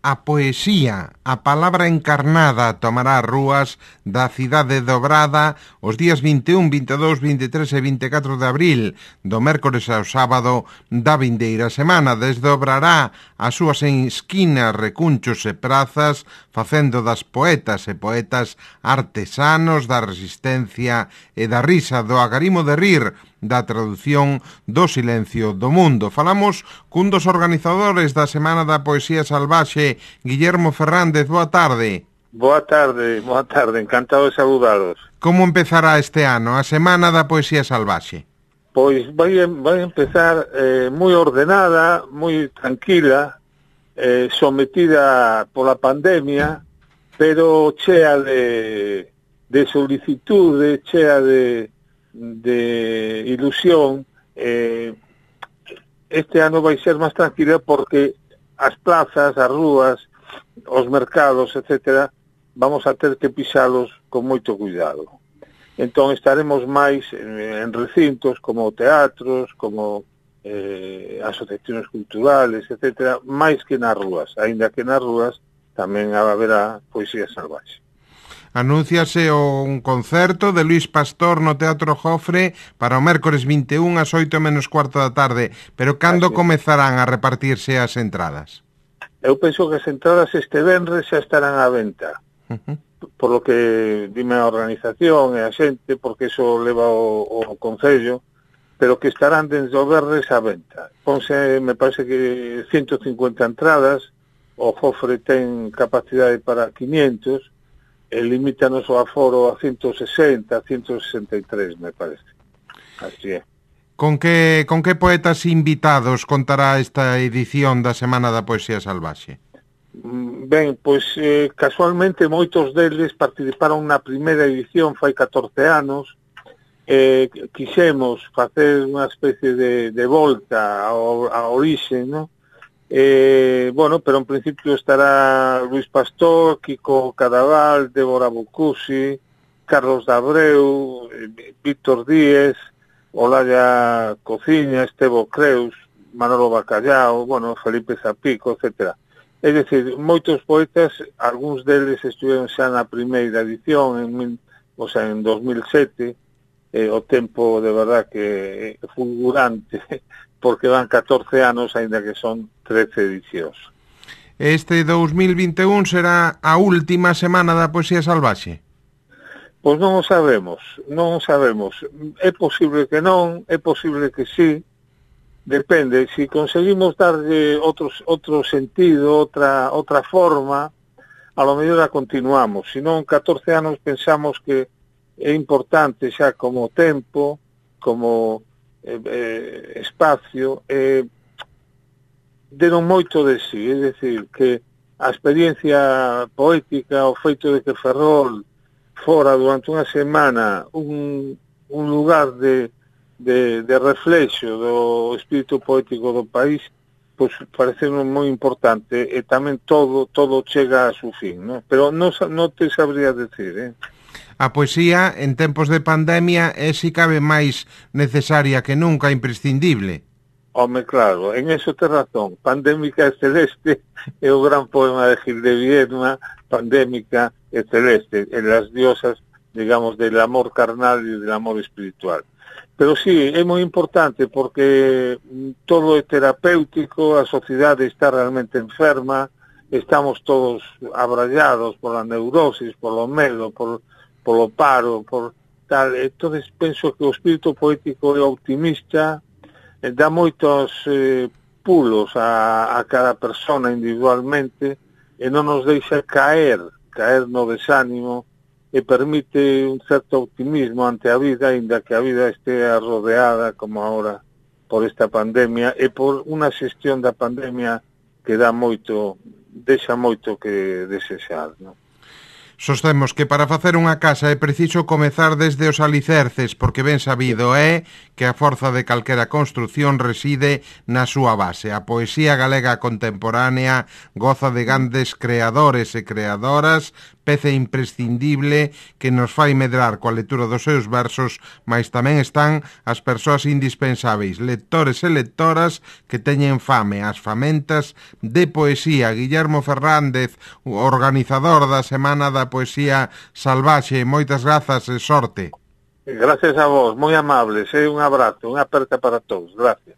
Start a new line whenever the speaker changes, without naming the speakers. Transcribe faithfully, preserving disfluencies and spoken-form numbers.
A poesía, a palabra encarnada tomará as rúas da cidade dobrada os días vinte e un, vinte e dous, vinte e tres e vinte e catro de abril, do mércores ao sábado da vindeira semana. Desdobrará as súas esquinas, recunchos e prazas, facendo das poetas e poetas artesanos da resistencia e da risa, do agarimo de rir, da tradución do silencio do mundo. Falamos cun dos organizadores da Semana da Poesía Salvaxe, Guillermo Fernández. Boa tarde.
Boa tarde, boa tarde, encantado de saludaros.
Como empezará este ano a Semana da Poesía Salvaxe?
Pois vai, vai empezar eh, moi ordenada, moi tranquila, eh, sometida pola pandemia, pero chea de, de solicitude, chea de de ilusión. Eh, este ano vai ser máis tranquila porque as plazas, as rúas, os mercados, etcétera, vamos a ter que pisalos con moito cuidado. Entón estaremos máis en, en recintos como teatros, como eh, asociacións culturales, etcétera, máis que nas rúas, aínda que nas rúas tamén haberá poesía salvaxe.
Anúnciase un concerto de Luís Pastor no Teatro Jofre para o mércores vinte e un ás oito menos cuarto da tarde, pero cando comezarán a repartirse as entradas?
Eu penso que as entradas este venres xa estarán á venta, uh-huh. por lo que dime a organización e a xente, porque iso leva o, o Concello, pero que estarán desde o venres á venta. Ponse, me parece que ciento cincuenta entradas, o Jofre ten capacidade para quinientos, e limítanos o aforo a ciento sesenta, ciento sesenta e tres, me parece. Así é.
Con que, con que poetas invitados contará esta edición da Semana da Poesía Salvaxe?
Ben, pois eh, casualmente moitos deles participaron na primeira edición fai catorce anos. Eh, quixemos facer unha especie de, de volta ao, a orixe, non? Eh, bueno, pero en principio estará Luís Pastor, Kiko Cadaval, Débora Bucusi, Carlos Dabreu, eh, Víctor Díez, Olaya Cociña, Estevo Creus, Manolo Bacallao, bueno, Felipe Zapico, etcétera. É dicir, moitos poetas, algúns deles estiveron xa na primeira edición, en, o sea, en dos mil sete, eh, o tempo de verdad que é fulgurante, porque van catorce anos, aínda que son trece edicións.
Este dous mil vinte e un será a última Semana da Poesía Salvaxe?
Pois non o sabemos, non o sabemos. É posible que non, é posible que sí, depende. Si conseguimos darlle outros, outro sentido, outra, outra forma, a lo mellor a continuamos. Si non, catorce anos pensamos que é importante xa como tempo, como Eh, eh, espacio, eh, deron moito de sí, é dicir, que a experiencia poética, o feito de que Ferrol fora durante unha semana un, un lugar de, de, de reflexo do espírito poético do país, pois parece moi importante, e tamén todo todo chega a su fin, ¿no? Pero non, non te sabría decir, eh?
A poesía, en tempos de pandemia, é si cabe máis necesaria que nunca, imprescindible.
Home, claro, en eso te razón. Pandémica e celeste é o gran poema de Gil de Viedma, Pandémica e celeste, en las diosas, digamos, del amor carnal e del amor espiritual. Pero sí, é moi importante porque todo é terapéutico, a sociedade está realmente enferma, estamos todos abrallados pola neurosis, polo medo, por polo paro, por tal. Entonces penso que o espírito poético é optimista, eh, dá moitos eh, pulos a, a cada persona individualmente e non nos deixa caer, caer no desánimo, e permite un certo optimismo ante a vida, ainda que a vida estea rodeada, como agora, por esta pandemia, e por unha xestión da pandemia que dá moito, deixa moito que desexar, non?
Sostemos que para facer unha casa é preciso comezar desde os alicerces, porque ben sabido é que a forza de calquera construción reside na súa base. A poesía galega contemporánea goza de grandes creadores e creadoras, peza imprescindible que nos fai medrar coa lectura dos seus versos, mas tamén están as persoas indispensáveis, lectores e lectoras que teñen fame, as famentas de poesía. Guillermo Fernández, organizador da Semana da Poesía Salvaxe, moitas grazas e sorte.
Gracias a vos, moi amables, e un abrazo, unha aperta para todos, gracias.